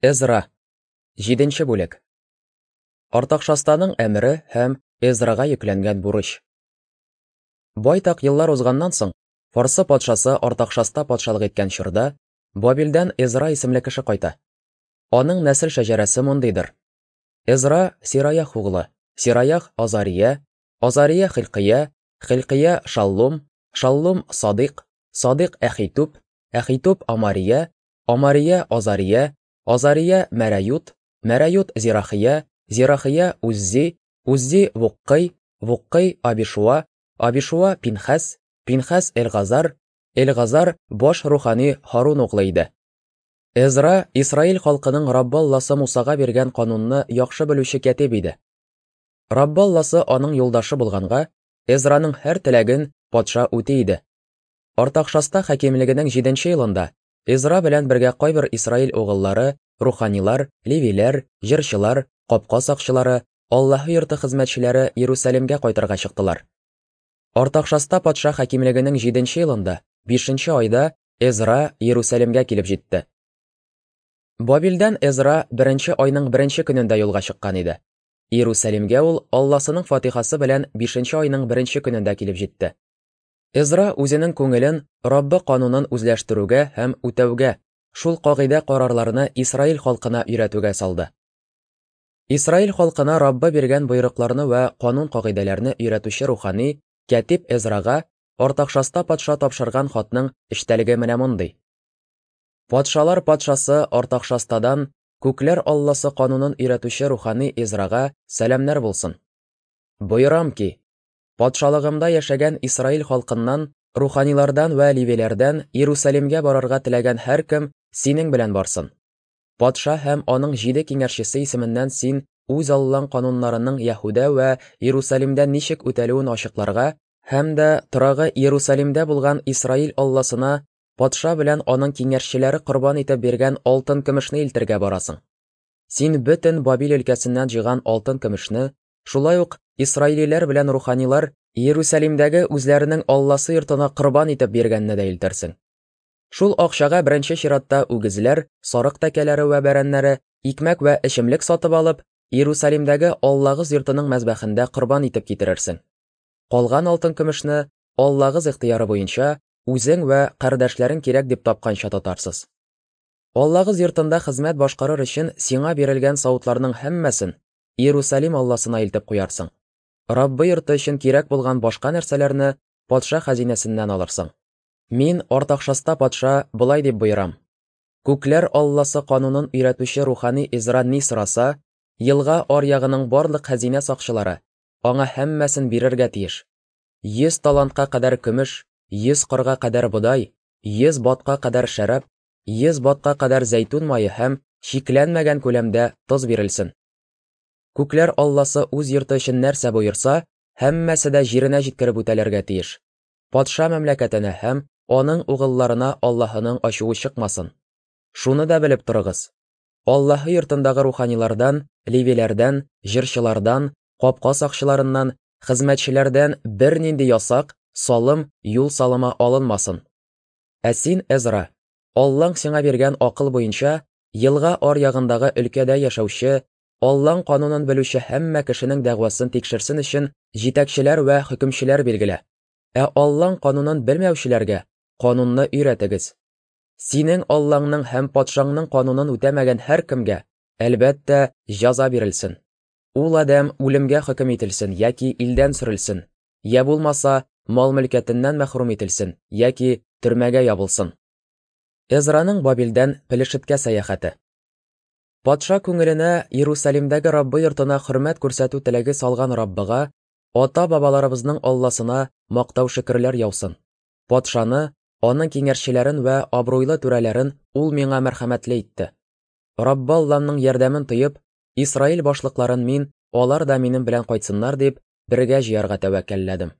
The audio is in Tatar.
Эзра. Җиденче бүлек. Артакшастаның әмере һәм Эзрага йөкләнгән бурыч. Байтак еллар узганнан соң, Фарсы патшасы Артакшаста патшалык иткән чорда, Бабилдән Эзра исемле кеше кайта. Аның нәсел шәҗәрәсе мондыйдыр. Эзра Сираях углы, Сираях Азария, Азария Хилкия, Хилкия Шаллум, Шаллум Садыйк, Садыйк Әхитүб, Әхитүб Амария, Амария Азария, Азария Мәрәют, Мәрәют Зирахия, Зирахия Уззи, Уззи Вуккый, Вуккый Абишуа, Абишуа Пинхәс, Пинхәс Элгазар, Элгазар баш рухани Һарун углы иде. Эзра Исраил халкының Раббы Алласы Мусага биргән канунны яхшы белүче кәтиб иде. Раббы Алласы аның юлдашы булганга, Эзраның һәр теләген патша үти иде. Артакшаста хакимлегенең җиденче елында Эзра белән бергә кайбер Исраил угыллары, руханилар, левиләр, җырчылар, капка сакчылары, Аллаһы йорты хезмәтчеләре Иерусалимгә кайтырга чыктылар. Артакшаста патша хакимлегенең җиденче елында, бишенче айда Эзра Иерусалимгә килеп җитте. Бабилдән Эзра беренче айның беренче көнендә юлга чыккан иде. Иерусалимгә ул Алласының фатихасы белән бишенче айның беренче көнендә килеп җитте. Эзра үзенең күңелен Раббы канунын үзләштерүгә һәм үтәүгә, шул кагыйдә-карарларны Исраил халкына өйрәтүгә салды. Исраил халкына Раббы биргән боерыкларны вә канун-кагыйдәләрне өйрәтүче рухани кәтиб Эзрага Артакшаста патша тапшырган хатның эчтәлеге менә мондый. Патшалар патшасы Артакшастадан Күкләр Алласы канунын өйрәтүче рухани Эзрага сәламнәр булсын. Боерам ки, Патшалыгымда яшәгән Исраил халкыннан, руханилардан вә левиләрдән Иерусалимгә барырга теләгән һәркем синең белән барсын. Патша һәм аның җиде киңәшчесе исеменнән син үз Аллаң кануннарының Яһүдә вә Иерусалимдә ничек үтәлүен ачыкларга һәм дә торагы Иерусалимдә булган Исраил Алласына патша белән аның киңәшчеләре корбан итеп биргән алтын-көмешне илтергә барасың. Син бөтен Бабил өлкәсеннән җыйган алтын-көмешне, Шулай ук исраилиләр белән руханилар Иерусалимдәге үзләренең Алласы йортына корбан итеп биргәнне дә илтерсең. Шул акчага беренче чиратта үгезләр, сарык тәкәләре вә бәрәннәре, икмәк вә эчемлек сатып алып, Иерусалимдәге Аллагыз йортының мәзбәхендә корбан итеп китерерсең. Калган алтын-көмешне Аллагыз ихтыяры буенча үзең вә кардәшләрең кирәк дип тапканча тотарсыз. Аллагыз йортында хезмәт башкарыр өчен сиңа бирелгән савытларның һәммәсен Иерусалим Алласына илтеп куярсың. Раббы йорты өчен кирәк булган башка нәрсәләрне патша хәзинәсеннән алырсың. Мин, Артакшаста патша, болай дип боерам. Күкләр Алласы канунын өйрәтүче рухани Эзра ни сораса, елга аръягының барлык хәзинә сакчылары аңа һәммәсен бирергә тиеш. 100 талантка кадәр көмеш, 100 корга кадәр бодай, 100 батка кадәр шәраб, 100 батка кадәр зәйтүн мае һәм чикләнмәгән күләмдә тоз бирелсен. Күкләр Алласы үз йорты өчен нәрсә боерса, һәммәсе дә җиренә җиткереп үтәлергә тиеш. Патша мәмләкәтенә һәм аның угылларына Аллаһының ачуы чыкмасын. Шуны да белеп торыгыз. Аллаһы йортындагы руханилардан, левиләрдән, җырчылардан, капка сакчыларыннан, хезмәтчеләрдән бернинди ясак, салым, юл салымы алынмасын. Ә син, Эзра, Аллаң сиңа биргән акыл буенча, елга аръягындагы өлкәдә яшәүче, Аллаң канунын белүче һәммә кешенең дәгъвасын тикшерсен өчен җитәкчеләр вә хөкемчеләр билгелә. Ә Аллаң канунын белмәүчеләргә канунны өйрәтегез. Синең Аллаңның һәм патшаңның канунын үтәмәгән һәркемгә, әлбәттә, җәза бирелсен. Ул адәм үлемгә хөкем ителсен яки илдән сөрелсен, я булмаса, мал-мөлкәтеннән мәхрүм ителсен яки төрмәгә ябылсын. Эзраның Бабилдән Пелешеткә сәяхәте. Патша күңеленә Иерусалимдәге Раббы йортына хөрмәт күрсәтү теләге салган Раббыга, ата-бабаларыбызның Алласына мактау-шөкерләр яусын. Патшаны, аның киңәшчеләрен вә абруйлы түрәләрен ул миңа мәрхәмәтле итте. Раббы Алламның ярдәмен тоеп, Исраил башлыкларын мин, алар да минем белән кайтсыннар дип, бергә җыярга тәвәккәлләдем.